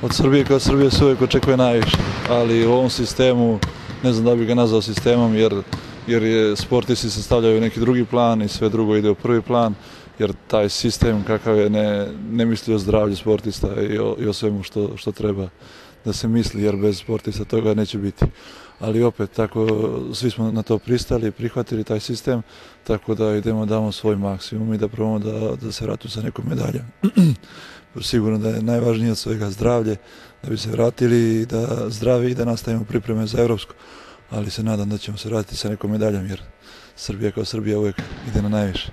Od Srbije kao Srbije se uvijek očekuje najviše, ali u ovom sistemu, ne znam da bi ga nazvao sistemom, jer je sportisti se stavljaju u neki drugi plan i sve drugo ide u prvi plan, jer taj sistem kakav je ne misli o zdravlju sportista i o svemu što treba da se misli, jer bez sportista toga neće biti. Ali opet, tako, svi smo na to pristali, prihvatili taj sistem, tako da idemo, damo svoj maksimum i da probamo da se vratimo sa nekom medaljom. Sigurno da je najvažnije od svega zdravlje, da bi se vratili da zdravi i da nastavimo pripreme za evropsko. Ali se nadam da ćemo se vratiti sa nekom medaljom, jer Srbija kao Srbija uvijek ide na najviše.